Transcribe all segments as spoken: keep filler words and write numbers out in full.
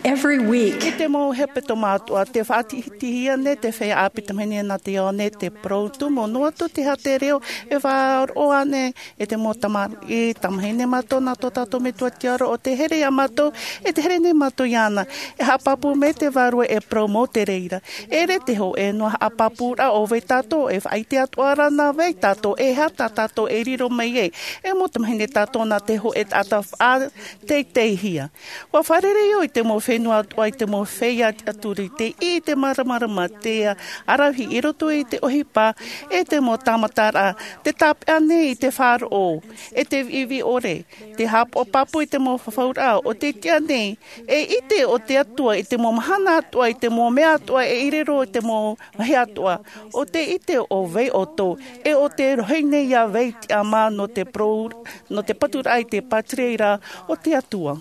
Every week. I te mau hepetoma atoʻa, te faʻatitihia nei te feiā ʻāpī tamahine nā te ao nei te parau tumu, noa atu te hātere e faʻaroʻo ānei e te mau tamariʻi, tamahine mātou nā tō tātou Metua tiʻaoro, ʻo tē here iā mātou, e tē here nei mātou iāna. E haʻapāpū mai te Vārua e parau mau te reira. E ʻere te hōʻē noa haʻapāpūraʻa ʻo vai tātou, e faʻaʻite atoʻa ra nā vai tātou, e aha tā tātou e riro mai ai. E mau tamahine tātou nā te hōʻē taʻata faʻateiteihia. ʻUa fārerei au i te mau fenua atoʻa, i te mau feiā tiʻaturi, te ʻī i te māramarama, te ʻaravihi i roto i te ʻohipa, e te mau tāmataraʻa, te tāpeʻa nei i te faʻaroʻo, e te viʻiviʻi ʻore, te haʻapāpū i te mau fafauraʻa, ʻo tē tiʻa nei, e ʻite ʻo te Atua i te mau mahana atoʻa, i te mau mea atoʻa, e i riro i te mau vāhi atoʻa, ʻo tē ʻite ʻo vai ʻoutou, e ʻo tē rohi nei iā vai tiʻamā nō te parau, nō te paturaʻa i te pātireia o te Atua.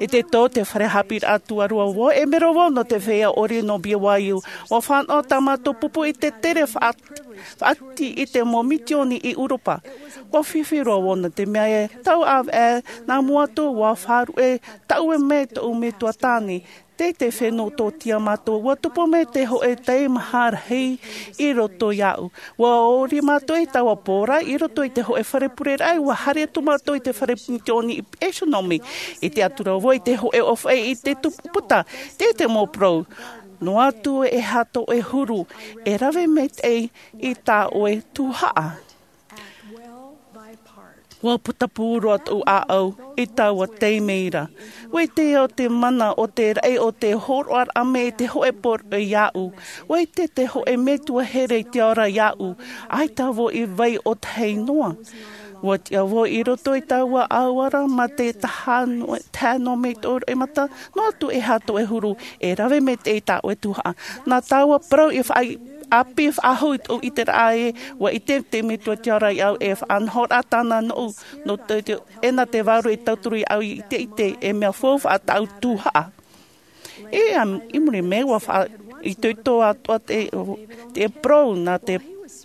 I te tō te fare haʻapiʻiraʻa tuarua vau, e mero vau nō te feiā ʻori nō B Y U. ʻUa fānaʻo tā mātou pupu i te tere faʻa-, faʻati i te mau mitioni i ʻEuropa. ʻUa fifi roa vau nō te mea e tau ʻāvaʻe nā mua atu, ʻua faʻaruʻe taʻue mai tōʻu metua tāne. Tei te fenua tōtia mātou, ʻua tupu mai te hōʻē teimaha rahi i roto iāʻu. ʻUa ʻori mātou i taua pō ra, i roto i te hōʻē fare pureraʻa, ʻua haere atu mātou i te fare mitioni i Pēsonome, i te atura vau i te hōʻē ʻōfaʻi i te tupu puta, tei te mau parau. Noa atu e aha tō ʻoe huru, e rave maitaʻi i tā ʻoe tuhaʻa. ʻUa putapū roa tōʻu ʻāʻau i taua taime ra. ʻUa ʻite au te mana o te raʻi o te hōroʻaraʻa mai i te hōʻē poroʻi iāʻu. ʻUa ʻite te hōʻē metua here i te ao ra iāʻu. ʻAita vau i vai ʻo tahi noa. ʻUa tiʻa vau i roto i taua ʻauara mā te taha noa, taha noa mai tōʻu roimata, noa atu e aha tō ʻoe huru, e rave maitaʻi tā ʻoe tuhaʻa. Nā taua parau i faʻa-, ʻāpī faʻahou i tōʻu ʻiteraʻa ē, ʻua ʻite te Metua tiʻa ora iāʻu e faʻanahoraʻa tāna noʻu, nō te, te, e nā te Vārua i tauturu iāʻu i te ʻite, e mea faufaʻa tāʻu tuhaʻa. E, am, i muri mai, ʻua faʻaitoito atoʻa te, te parau nā te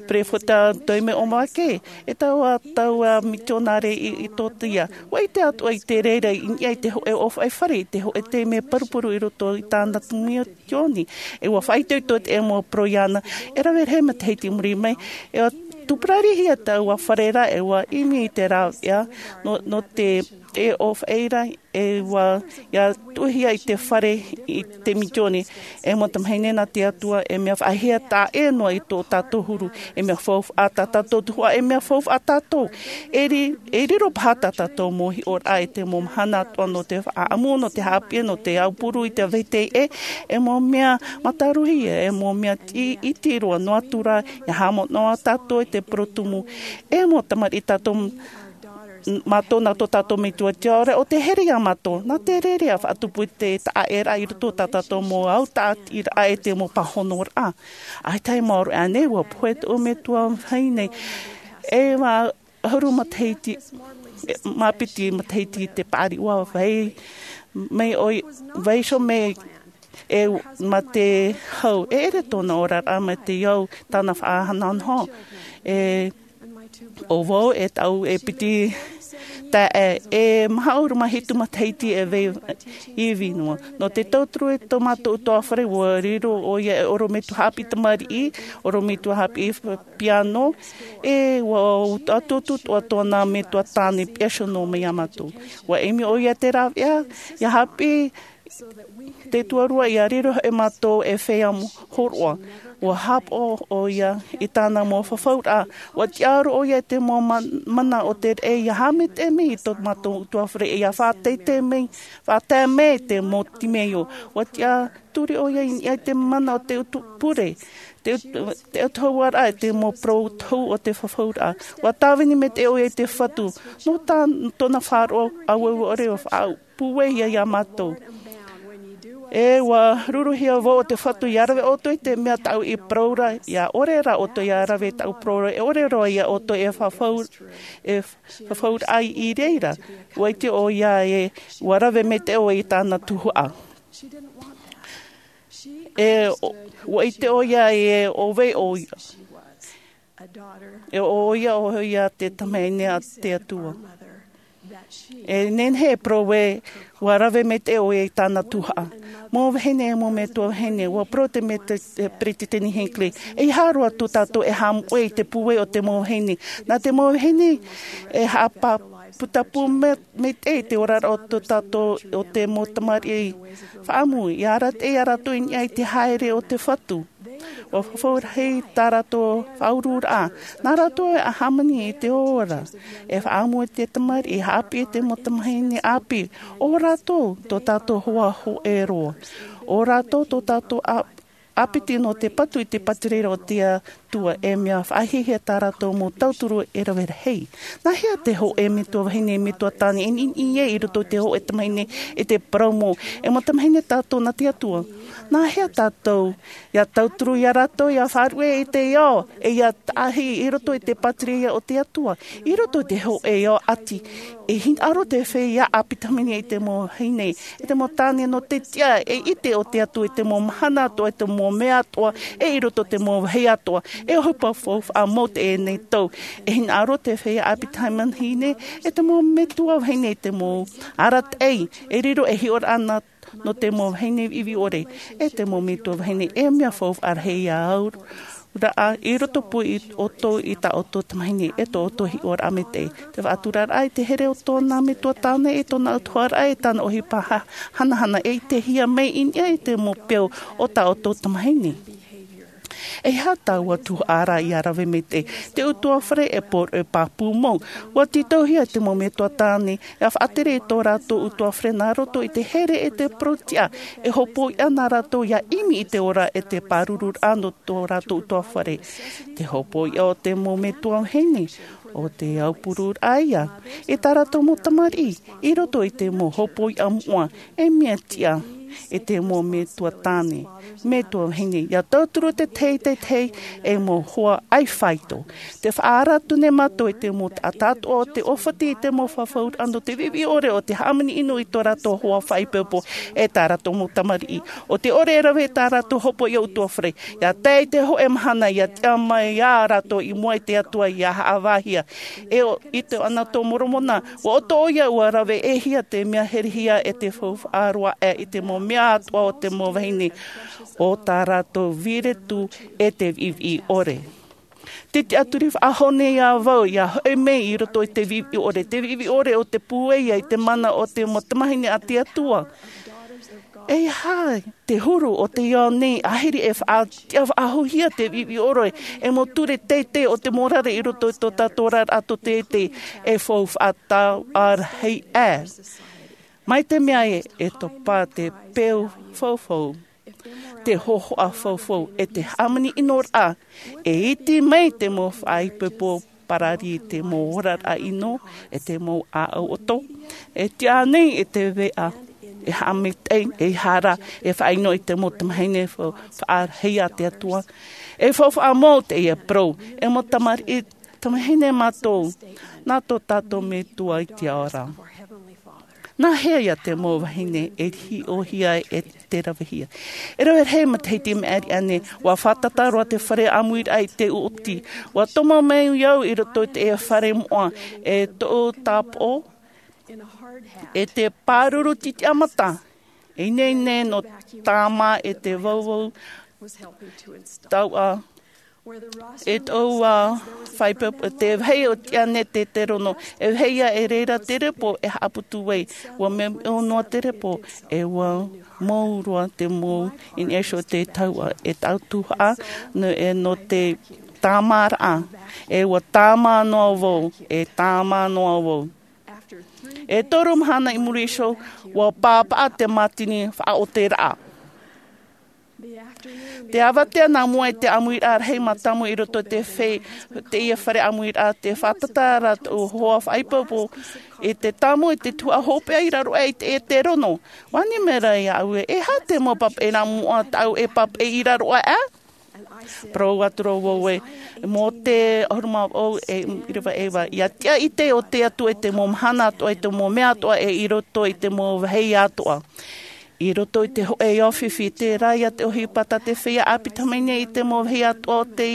peropheta Tommy Omarke, e taua, taua mitionare i, i tōtia. ʻUa ʻite atoʻa i te reira i niʻa i te hōʻē ʻōfaʻi fare, i te hōʻē taime parupuru i roto i tāna mitioni. E ʻua faʻaitoito te mau parau iāna, e rave rahi matahiti i muri mai, e ʻua tūpararihia taua fare ra, e ʻua ʻimi i te rāveʻa, nō, nō te, te ʻōfaʻi ra, e ʻua, ʻia tuʻuhia i te fare, i te mitioni, e mau tamahine nā te Atua, e mea faʻahiahia taʻa ʻē noa i tō tātou huru, e mea faufaʻa tā tātou tuhaʻa, e mea faufaʻa tātou. E ri-, e riro paha tā tātou mau hiʻoraʻa i te mau mahana atoʻa nō te faʻaʻamu, nō te haʻapiʻi, nō te aupuru i te vetahi ʻē, e mau mea mātāruhia, e mau mea ti-, iti roa noa atu ra, ʻia haʻamanaʻo tātou i te parau tumu, e mau tamariʻi tātou mātou nā tō tātou Metua tiʻa ora, ʻo tē here iā mātou, nā te reira ʻia faʻatupu i te taʻa ʻēraʻa i roto tā tātou mau autaʻatiraʻa e te mau pāhonoraʻa. ʻAita e maoro ānei, ʻua pohe tōʻu metua vahine, e mā ʻahuru matahiti, e, mā piti matahiti te paʻari, ʻua vai, mai ʻoia, vai iho mai, e, mā te hau, e ʻere tōna oraraʻa mā te au, tāna faʻanahonaho, e, ʻo vau e taʻu e piti taeaʻe, e maha ʻahuru mā hitu matahiti e vai ivi noa. Nō te tauturu i tō mātou ʻutuāfare, ʻua riro ʻoia e ʻorometua haʻapiʻi tamariʻi, ʻorometua haʻapiʻi piano, e ʻua ʻutuʻutu atoʻa tōna metua tāne piano mai iā mātou. ʻUa ʻimi ʻoia te rāveʻa, ʻia haʻapiʻi te tuarua ʻia riro e mātou e feiā hōroʻa. ʻUa haʻapaʻo ʻoia i tāna mau fafauraʻa. ʻUa tiʻaoro ʻoia i te mau ma-, mana o te reira ʻia haʻamaitaʻi mai i tō mātou ʻutuāfare, ʻia faʻateitei mai, faʻatae mai te mau timeio. ʻUa tiʻaturi ʻoia i niʻa i te mana o te utu pure, te ut-, te ʻautahuʻaraʻa, te mau parau tohu o te fafauraʻa. ʻUa tāvini maitaʻi ʻoia i te Fatu. Nō tā, tōna faʻaroʻo auaue ʻore ʻua faʻa- pūai ia iā mātou. E ʻua ruruhia vau ʻo te Fatu ʻia rave ʻoutou i te mea tāʻu i parau ra, ʻia ʻore rā ʻoutou ʻia rave tāʻu parau ra, e ʻore roa ia ʻoutou e fafau-, e fafauraʻa i reira. ʻUa ʻite ʻoia e, ʻua rave maitaʻi ʻoia i tāna tuhaʻa. E, ʻo, ʻua ʻite ʻoia e, ʻo vai ʻoia. E ʻoia, ʻoia te Tamahine a te Atua. E nehenehe e parau ē, ua rave maitaʻi ʻoia i tāna tuhaʻa. Mau vahine e mau metua vahine, ua parau te mea te peresideni Hinckley, ʻeiaha roa tō tātou e haʻamoʻe i te pūai o te mau vahine. Nā te mau vahine e haʻaputapū maitaʻi i te oraraʻa o tō tātou, o te mau tamariʻi faʻaʻamu, ʻia arataʻi ia rātou i niʻa i te haere o te Fatu. Ua fafau rahi tā rātou faʻauruʻuraʻa. Nā rātou e hāmani i te ora. E faʻaʻamu i te tamariʻi, haʻapiʻi i te mau tamahine ʻāpī. ʻO rātou tō tātou hoa hōʻē roa. ʻO rātou tō tātou ʻāpiti nō te patu i te pātireia o te Atua, e mea faʻahiahia tā rātou mau tauturu e rave rahi. Nā hea te hōʻē metua vahine, metua tāne e niʻiniʻi ai i roto i te hōʻē tamahine e te parau mau, e mau tamahine tātou nā te Atua? Nā hea tātou ʻia tauturu ia rātou ʻia faʻaruʻe i te ao, e ʻia tahi i roto i te pātireia o te Atua? I roto i te hōʻē ao ʻati, e hinaʻaro te feiā ʻāpī tamahine i te mau vahine, i te mau tāne nō te tiʻa e ʻite o te Atua i te mau mahana atoʻa, i te mau mea atoʻa, e i roto i te mau vāhi atoʻa, e ʻohipa faufaʻa mau teie nei tau. E hinaʻaro te feiā ʻāpī tamahine, i te mau metua vahine i te mau arataʻi, e riro ei hiʻoraʻa nō te mau vahine viʻiviʻi ʻore, e te mau metua vahine, e mea faufaʻa rahi ia au. Raʻa, i roto pū i ʻoutou i tā ʻoutou tamahine, e tō ʻoutou hiʻoraʻa maitaʻi. Te faʻaturaraʻa i te here o tōna metua tāne, e tōna ʻautuharaʻa, e tāna ʻohipa ha-, hanahana, e ʻitehia mai i niʻa i te mau peu o tā ʻoutou tamahine. E aha taua tuhaʻa ra ʻia rave maitaʻi? Te ʻutuāfare e pō-, e pāpū mau. Ua tītauhia te mau metua tāne, ʻia faʻatere i tō rātou ʻutuāfare nā roto i te here e te parau tiʻa, e hopoiʻa nā rātou ʻia ʻimi i te ora e te pārururaʻa nō tō rātou ʻutuāfare. Te hopoiʻa o te mau metua vahine, ʻo te aupururaʻa ia, i tā rātou mau tamariʻi, i roto i te mau hopoiʻa moʻa, e mea tiʻa, e te mau metua tāne, metua vahine, ʻia tauturu te tahi i te tahi, e mau hoa ʻaifāito. Te faʻaara atu nei mātou i te mau taʻata atoʻa o te ʻōfati i te mau fafauraʻa nō te viʻiviʻi ʻore o te hāmani ʻino i tō rātou hoa faʻaipoipo, e tā rātou mau tamariʻi. ʻO te ʻore e rave i tā rātou hopoiʻa ʻutuāfare. ʻIa tae i te hōʻē mahana, ʻia tiʻa mai ā rātou i mua i te Atua ʻia haʻavāhia. E ʻo, i te Anato Moromona, ʻua ʻoto ʻoia ʻua rave ʻē hia te mea herehia e te faufaʻa roa aʻe i te mau mea atoʻa o te mau vahine, ʻo tā rātou vīretu e te viʻiviʻi ʻore. Te tiʻaturi faʻahou nei ā vau ʻia hoʻi mai i roto i te viʻiviʻi ʻore, te viʻiviʻi ʻore o te pūai i te mana o te mau tamahine a te Atua. E aha te huru o te ao nei, ʻāhiri e faʻa-, tiʻa faʻahouhia te viʻiviʻi ʻore, e mau ture teitei o te morare i roto i tō tātou oraraʻa tō teitei, e faufaʻa taua rahi aʻe. Mai te mea ē, e topa te peu faufau, te hōhoʻa faufau, e te hāmani ʻinoraʻa, e iti mai te mau faʻaipoipo parari i te mau oraraʻa ʻino, e te mau ʻāʻau ʻoto, e tiʻa nei e te veʻa, e haʻamaitaʻi, e hara, e faʻaʻino i te mau tamahine fa-, faʻarahi a te Atua. E faufaʻa mau teie parau, e mau tamariʻi tamahine mātou, nā tō tātou Metua i te ao ra. Nā hea ia te mau vahine e hiʻohia e te ravehia? E rave rahi matahiti i maʻiri aʻe nei, ʻua fātata roa te fare ʻāmuiraʻa i te ʻoti. ʻUa tomo mai au i roto i te fare moʻa, e toʻu tāpoʻo, e te pāruru titiʻamata, e ineine nō tāmā e te vauvau tauʻa, e toʻu faʻaipoipo, te vāhi o tiʻa nei te, te rono, e vāhi ia e reira te repo e haʻaputu ai, ʻua meʻo noa te repo, e ʻua mau roa te mau i niʻa iho i te tauʻa, e tautuhaʻa, nō, e nō te tāmāraʻa, e ʻua tāmā noa vau, e tāmā noa vau. E toru mahana i muri iho, ʻua pāpaʻa te mātini faʻaoteraʻa. Te avatea nā mua i te ʻāmuiraʻa rahi mātāmua i roto i te fe-, teie fare ʻāmuiraʻa, te fātata ra tōʻu hoa faʻaipoipo i te tāmau i te tuhaʻa hopeʻa i raro aʻe i te, i te rono. ʻUa ani mai ra iāʻu ē, e aha te mau papaʻi nā mua tāʻu e papaʻi i raro aʻe? Parau atu ra vau ē, Mōte ʻahuru mā vaʻu e ʻīrava e iva, ʻia tiʻa ʻite ʻo te Atua i te mau mahana atoʻa, i te mau mea atoʻa, e i roto i te mau vāhi atoʻa. I roto i te hoʻe ao fifi, tērā ia te ʻohipa tā te feiā ʻāpī tamahine i te mau vahi atoʻa o te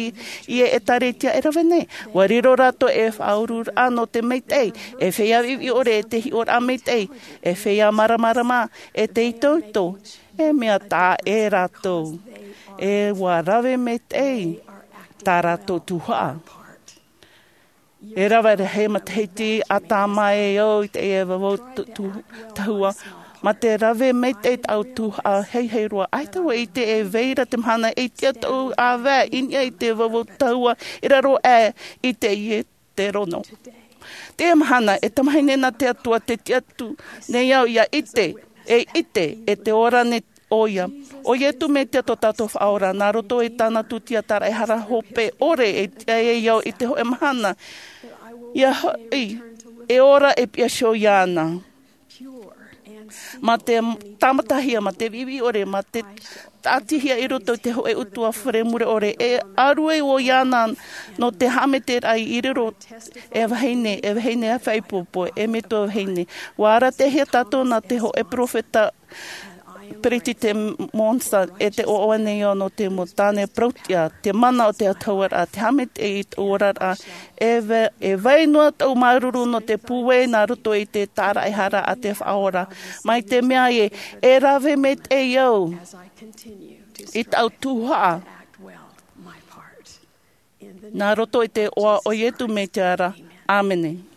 ʻētāretia e rave nei. Ua riro rātou e faʻaururaʻa nō te maitaʻi, e feiā viʻiviʻi ʻore, e te hiʻoraʻa maitaʻi, e feiā māramarama, e te itoito, e mea taʻa ʻē rātou. E ua rave maitaʻi tā rātou tuhaʻa. E rave rahi matahiti ʻātaʻa mai au i te ʻē vavau tu-, tu-, tahua. Mā te rave maitaʻi tāʻu tuhaʻa heihei roa. ʻAita vau e ʻite e vai ra te mahana e tiʻa tōʻu ʻāvae i niʻa i te vavau tahua i raro aʻe i te ʻie te rono. Teie mahana, e tamahine nā te Atua, tē tiʻa atu nei au ʻia ʻite, e ʻite, e te ora nei ʻoia. ʻO Iesu Mesia tō tātou Faʻaora, nā roto i tāna tūtia tāraʻehara hope ʻore, e tiʻa ai au i te hōʻē mahana, ʻia hoʻi, e ora e piʻi iho iāna. Mā te tāmatahia, mā te viʻiviʻi ʻore, mā te tāʻatihia i roto i te hōʻē utuafare mure ʻore, e ʻārue vau iāna nō te haʻameteraʻa i riro e vahine, e vahine ʻāfaʻi pōpō, e metua vahine. Ua ʻāratihia tātou nā te hōʻē peropheta Peresideni Monson, e tē ʻoaʻoa nei au nō te mau tāne parauʻtiʻa, te mana o te autahuʻaraʻa, te haʻameteraʻa i tōʻu oraraʻa, e va-, e vai noa tōʻu māuruuru nō te pūai nā roto i te tāraʻehara a te Faʻaora. Mai te mea ē, e rave maitaʻi au i tāʻu tuhaʻa. Nā roto i te iʻoa o Iesu Mesia ra. ʻĀmene.